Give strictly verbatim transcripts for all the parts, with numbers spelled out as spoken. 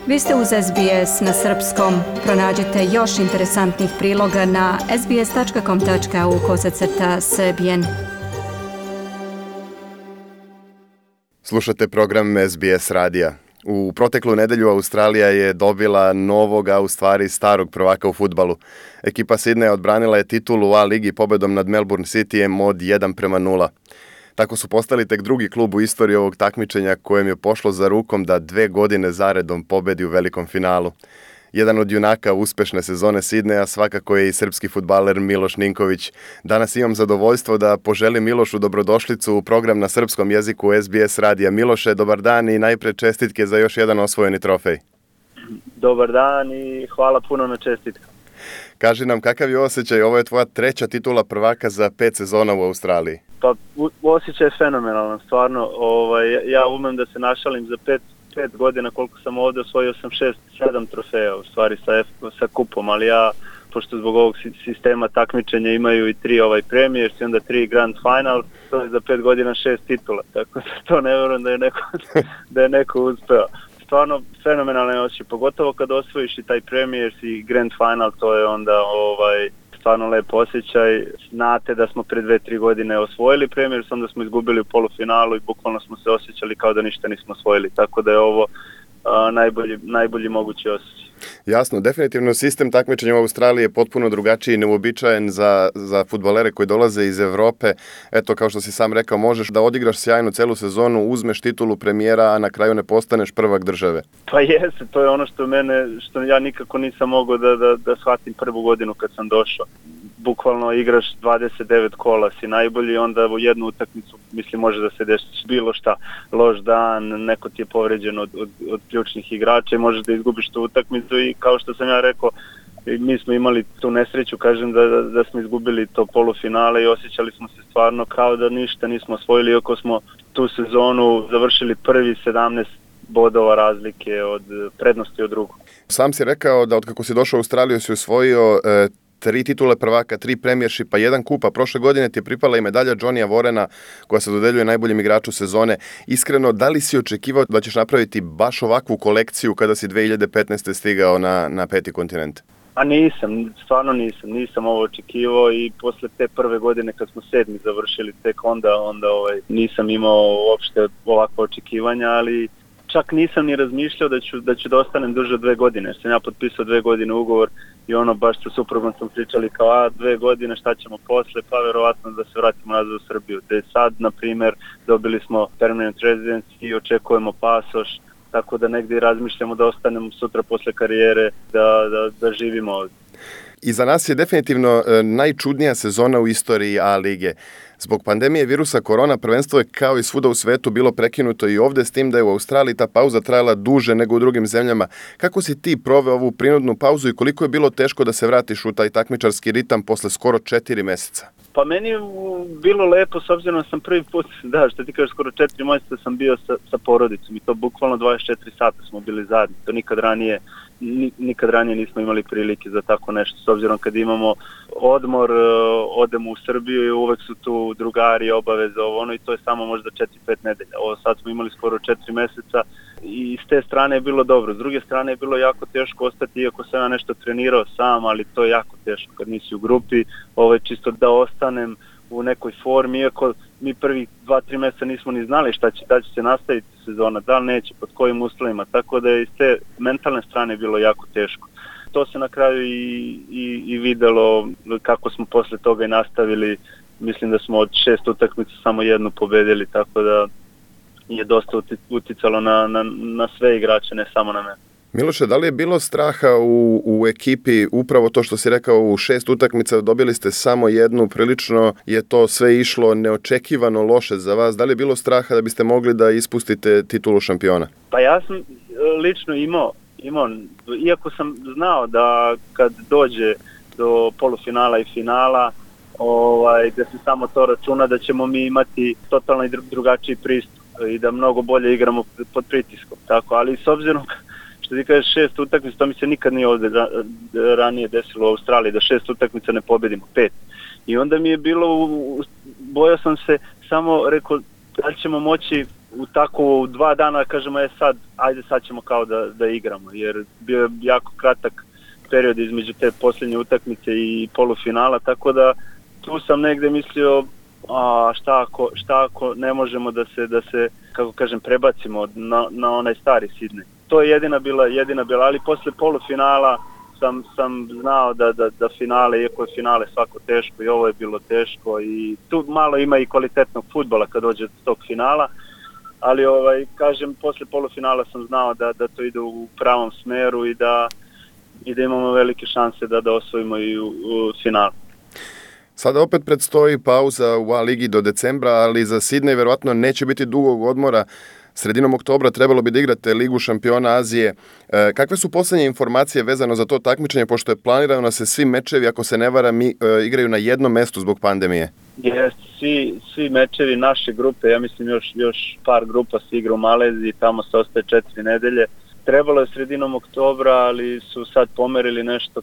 Vi ste uz S B S na srpskom. Pronađite još interesantnih priloga na sbs.com.au kosacrta srbijen. Slušate program S B S radija. U proteklu nedelju Australija je dobila novog, a u stvari starog prvaka u fudbalu. Ekipa Sidneja odbranila je titulu u A ligi pobedom nad Melbourne Cityjem od jedan prema nula. Tako su postali tek drugi klub u istoriji ovog takmičenja kojem je pošlo za rukom da dve godine zaredom pobedi u velikom finalu. Jedan od junaka uspešne sezone Sidneja svakako je i srpski fudbaler Miloš Ninković. Danas imam zadovoljstvo da poželim Milošu dobrodošlicu u program na srpskom jeziku S B S radija. Miloše, dobar dan i najpre čestitke za još jedan osvojeni trofej. Dobar dan i hvala puno na čestitku. Kaži nam kakav je osjećaj, ovo je tvoja treća titula prvaka za pet sezona u Australiji. Pa osjećaj je fenomenalan, stvarno. Ovaj, ja umem da se našalim za pet, pet godina koliko sam ovdje, osvojio sam šest, sedam trofeja u stvari sa, sa kupom, ali ja, pošto zbog ovog sistema takmičenja imaju i tri ovaj Premiers i onda tri Grand Final, to je za pet godina šest titula, tako da to ne vjerujem da je neko, da je neko uspeo. Stvarno fenomenalno je osjećaj, pogotovo kad osvojiš i taj Premiers i Grand Final, to je onda ovaj stvarno lep osjećaj. Znate da smo pre dve, tri godine osvojili Premiers, onda smo izgubili u polufinalu i bukvalno smo se osjećali kao da ništa nismo osvojili, tako da je ovo a, najbolji, najbolji mogući osjećaj. Jasno, definitivno sistem takmičenja u Australiji je potpuno drugačiji i neuobičajen za, za fudbalere koji dolaze iz Evrope. Eto, kao što si sam rekao, možeš da odigraš sjajno celu sezonu, uzmeš titulu premijera, a na kraju ne postaneš prvak države. Pa jeste, to je ono što mene, što ja nikako nisam mogao da, da, da shvatim prvu godinu kad sam došao. Bukvalno igraš dvadeset devet kola, si najbolji, onda u jednu utakmicu, mislim, može da se desi bilo šta, loš dan, neko ti je povređen od, od, od ključnih igrača i možeš da izgubiš tu utakmicu i kao što sam ja rekao, mi smo imali tu nesreću, kažem, da, da, da smo izgubili to polufinale i osjećali smo se stvarno kao da ništa nismo osvojili, iako smo tu sezonu završili prvi sedamnaest bodova razlike od prednosti od drugog. Sam si rekao da od kako si došao u Australiju si osvojio e, tri titule prvaka, tri premijershipa, jedan kupa. Prošle godine ti je pripala i medalja Johnnyja Warrena koja se dodeljuje najboljem igraču sezone. Iskreno, da li si očekivao da ćeš napraviti baš ovakvu kolekciju kada si dve hiljade petnaeste. stigao na, na peti kontinent? A nisam, stvarno nisam, nisam ovo očekivao i posle te prve godine kad smo sedmi završili tek onda, onda ovaj, nisam imao uopšte ovakva očekivanja, ali čak nisam ni razmišljao da ću, da ću da ostanem duže dve godine, jer sam ja potpisao dve godine ugovor i ono baš sa suprugom sam pričali kao a dve godine šta ćemo posle, pa verovatno da se vratimo nazad u Srbiju. Da je sad, na primjer, dobili smo permanent residence i očekujemo pasoš, tako da negdje razmišljamo da ostanemo sutra posle karijere, da, da, da živimo ovdje. I za nas je definitivno e, najčudnija sezona u istoriji A lige. Zbog pandemije virusa korona prvenstvo je kao i svuda u svetu bilo prekinuto i ovdje, s tim da je u Australiji ta pauza trajala duže nego u drugim zemljama. Kako si ti proveo ovu prinudnu pauzu i koliko je bilo teško da se vratiš u taj takmičarski ritam posle skoro četiri meseca? Pa meni je bilo lepo, s obzirom da sam prvi put, da, što ti kažeš, skoro četiri mjeseca sam bio sa, sa porodicom i to bukvalno dvadeset četiri sata smo bili zajedni. To nikad ranije, nikad ranije nismo imali prilike za tako nešto, s obzirom kad imamo odmor, odemo u Srbiju i uvek su tu drugari, obaveze, ovo ono i to je samo možda četiri pet nedelja. Ovo sad smo imali skoro četiri meseca i s te strane je bilo dobro. S druge strane je bilo jako teško ostati, iako sam ja nešto trenirao sam, ali to je jako teško kad nisi u grupi, ovo je čisto da ostanem u nekoj formi, iako mi prvi dva, tri mjeseca nismo ni znali šta će, da će se nastaviti sezona, da li neće, pod kojim uslovima, tako da je iz te mentalne strane bilo jako teško. To se na kraju i, i, i videlo kako smo posle toga i nastavili. Mislim da smo od šest utakmica samo jednu pobedili, tako da je dosta uticalo na, na, na sve igrače, ne samo na mene. Miloše, da li je bilo straha u, u ekipi, upravo to što si rekao, u šest utakmica dobili ste samo jednu, prilično je to sve išlo neočekivano loše za vas, da li je bilo straha da biste mogli da ispustite titulu šampiona? Pa ja sam lično imao, imao, iako sam znao da kad dođe do polufinala i finala, ovaj, da se samo to računa da ćemo mi imati totalno drugačiji pristup i da mnogo bolje igramo pod pritiskom, tako, ali s obzirom što ti kažeš šest utakmica, to mi se nikad nije ovdje ranije desilo u Australiji, da šest utakmica ne pobedimo, pet. I onda mi je bilo, bojao sam se, samo rekao, da li ćemo moći u tako u dva dana kažemo je sad, ajde sad ćemo kao da, da igramo, jer bio je jako kratak period između te posljednje utakmice i polufinala, tako da tu sam negde mislio a šta ako, šta ako ne možemo da se, da se kako kažem, prebacimo na, na onaj stari Sidney. To je jedina bila, jedina bila, ali posle polufinala sam, sam znao da, da, da finale, iako je finale svako teško i ovo je bilo teško i tu malo ima i kvalitetnog fudbala kad dođe do tog finala, ali ovaj, kažem, posle polufinala sam znao da, da to ide u pravom smeru i da, i da imamo velike šanse da, da osvojimo i u, u finalu. Sada opet predstoji pauza u A ligi do decembra, ali za Sidney verovatno neće biti dugog odmora. Sredinom oktobra trebalo bi da igrate Ligu šampiona Azije. E, kakve su poslednje informacije vezano za to takmičenje, pošto je planirano da se svi mečevi, ako se ne varam, e, igraju na jednom mestu zbog pandemije? Jest, svi, svi mečevi naše grupe, ja mislim još, još par grupa se igra u Maleziji, tamo se ostaje četiri nedelje. Trebalo je sredinom oktobra, ali su sad pomerili nešto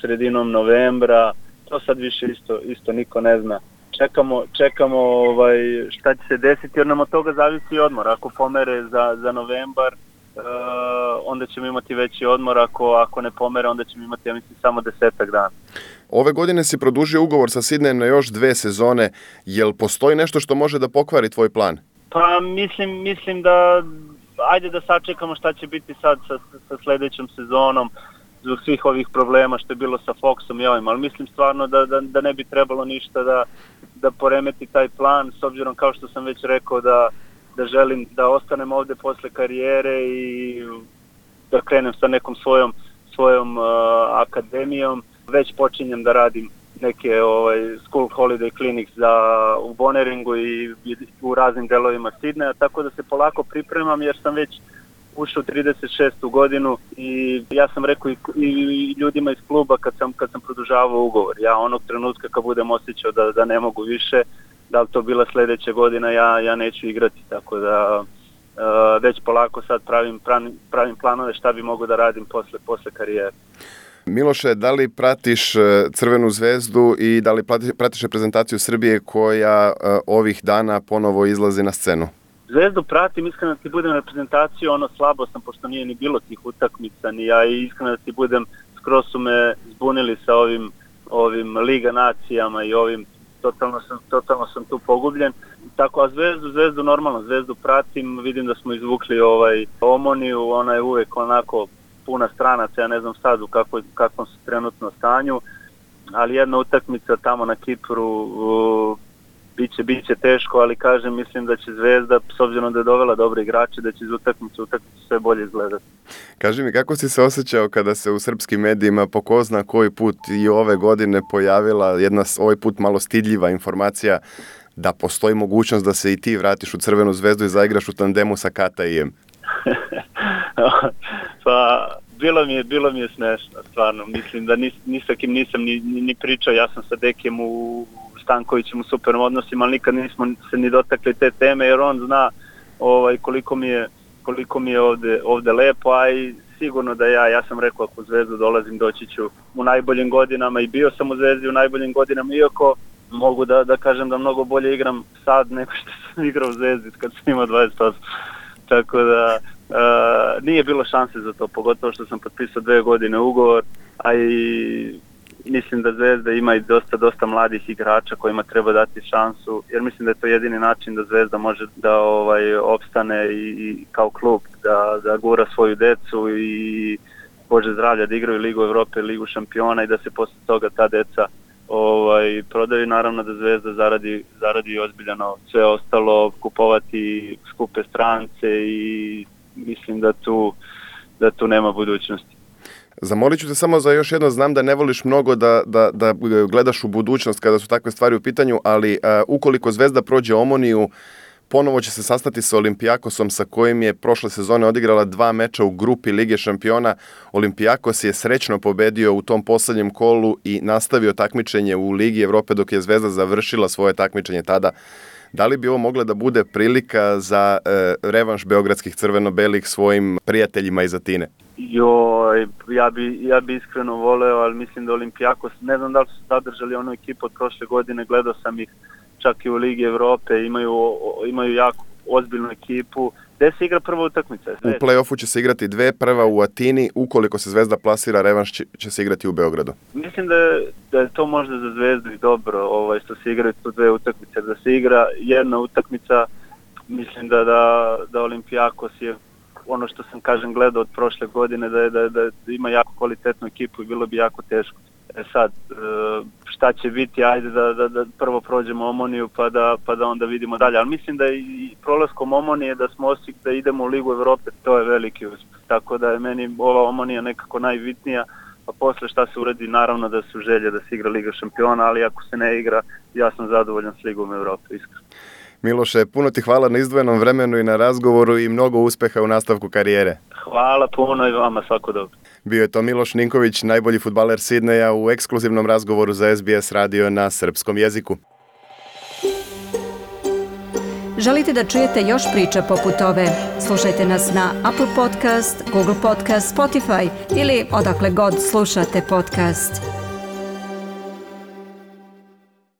sredinom novembra. To sad više isto, isto niko ne zna. Čekamo, čekamo ovaj, šta će se desiti, jer nam od toga zavisi odmor. Ako pomere za, za novembar, uh, onda ćemo imati veći odmor. Ako, ako ne pomere, onda ćemo imati, ja mislim, samo desetak dana. Ove godine si produžio ugovor sa Sidneyem na još dve sezone. Jel postoji nešto što može da pokvari tvoj plan? Pa mislim, mislim da ajde da sačekamo šta će biti sad sa, sa sledećom sezonom, zbog svih ovih problema što je bilo sa Foxom i ovim, ali mislim stvarno da, da, da ne bi trebalo ništa da, da poremeti taj plan, s obzirom kao što sam već rekao da, da želim da ostanem ovde posle karijere i da krenem sa nekom svojom, svojom uh, akademijom. Već počinjem da radim neke ovaj, school holiday clinics za, u Bonneringu i, i u raznim delovima Sidneja, tako da se polako pripremam jer sam već ušao u trideset šestu godinu i ja sam rekao i, i ljudima iz kluba kad sam, kad sam produžavao ugovor. Ja onog trenutka kad budem osjećao da, da ne mogu više, da li to bila sledeća godina, ja, ja neću igrati. Tako da uh, već polako sad pravim, pravim, pravim planove šta bi mogu da radim posle, posle karijere. Miloše, da li pratiš Crvenu zvezdu i da li pratiš reprezentaciju Srbije koja uh, ovih dana ponovo izlazi na scenu? Zvezdu pratim, iskreno da ti budem reprezentaciju, ono slabo sam, pošto nije ni bilo tih utakmica, ni ja, i iskreno da ti budem, skroz su me zbunili sa ovim, ovim Liga nacijama i ovim, totalno sam, totalno sam tu pogubljen. Tako, a Zvezdu, Zvezdu normalno, Zvezdu pratim, vidim da smo izvukli ovaj Omoniju, ona je uvek onako puna stranaca, ja ne znam sad u kakvoj, kakvom su trenutno stanju, ali jedna utakmica tamo na Kipru, u, Biće, biće teško, ali kažem, mislim da će Zvezda, s obzirom da je dovela dobre igrače, da će iz utakmice utakmice sve bolje izgledati. Kaži mi, kako si se osjećao kada se u srpskim medijima po ko zna koji put i ove godine pojavila jedna ovaj put malo stidljiva informacija da postoji mogućnost da se i ti vratiš u Crvenu zvezdu i zaigraš u tandemu sa Katajem? Pa, bilo mi je, bilo mi je smešno, stvarno. Mislim da ni, ni sa kim nisam ni, ni, ni pričao, ja sam sa Dekijem u Stankovićem u supernim odnosima, ali nikad nismo se ni dotakli te teme, jer on zna ovaj, koliko mi je, koliko mi je ovde, ovde lepo, a i sigurno da ja, ja sam rekao ako u Zvezdu dolazim, doći ću u najboljim godinama i bio sam u Zvezdi u najboljim godinama, iako mogu da, da kažem da mnogo bolje igram sad nego što sam igrao u Zvezdi kad sam imao dvadeset osam. Tako da uh, nije bilo šanse za to, pogotovo što sam potpisao dve godine ugovor, a i mislim da Zvezda ima i dosta, dosta mladih igrača kojima treba dati šansu, jer mislim da je to jedini način da Zvezda može da ovaj opstane i, i kao klub, da, da gura svoju decu i Bože zdravlja, da igraju Ligu Evrope, Ligu šampiona i da se posle toga ta deca ovaj, prodaju. Naravno da Zvezda zaradi, zaradi ozbiljano sve ostalo, kupovati skupe strance i mislim da tu, da tu nema budućnosti. Zamolit ću te samo za još jedno, znam da ne voliš mnogo da, da, da gledaš u budućnost kada su takve stvari u pitanju, ali uh, ukoliko Zvezda prođe Omoniju, ponovo će se sastati sa Olimpijakosom sa kojim je prošle sezone odigrala dva meča u grupi Lige šampiona. Olimpijakos je srećno pobedio u tom poslednjem kolu i nastavio takmičenje u Ligi Evrope dok je Zvezda završila svoje takmičenje tada. Da li bi ovo mogla da bude prilika za e, revanš beogradskih crveno-belih svojim prijateljima iz Atine? Joj, ja bi, ja bi iskreno voleo, ali mislim da Olimpijakos, ne znam da li su zadržali onu ekipu od prošle godine, gledao sam ih čak i u Ligi Evrope, imaju, imaju jako ozbiljnu ekipu, gde se igra prva utakmica. U play-offu će se igrati dve, prva u Atini, ukoliko se Zvezda plasira, revanš će, će se igrati u Beogradu. Mislim da je, da je to možda za Zvezdu i dobro, ovaj, što se igraju tu dve utakmice, da se igra jedna utakmica, mislim da, da, da Olimpijakos je ono što sam kažem gledao od prošle godine, da, je, da, da ima jako kvalitetnu ekipu i bilo bi jako teško. E sad, šta će biti, ajde da, da, da prvo prođemo Omoniju pa da, pa da onda vidimo dalje. Ali mislim da i prolaskom Omonije da smo osik da idemo u Ligu Evrope, to je veliki uspjeh. Tako da je meni ova Omonija nekako najbitnija, a posle šta se uradi, naravno da su želje da se igra Liga šampiona, ali ako se ne igra, ja sam zadovoljan s Ligom Evrope, iskreno. Miloše, puno ti hvala na izdvojenom vremenu i na razgovoru i mnogo uspeha u nastavku karijere. Hvala puno i vama, svako dobro. Bio je to Miloš Ninković, najbolji fudbaler Sidneja, u ekskluzivnom razgovoru za S B S radio na srpskom jeziku. Želite da čujete još priča poput ove? Slušajte nas na Apple Podcast, Google Podcast, Spotify ili odakle god slušate podcast.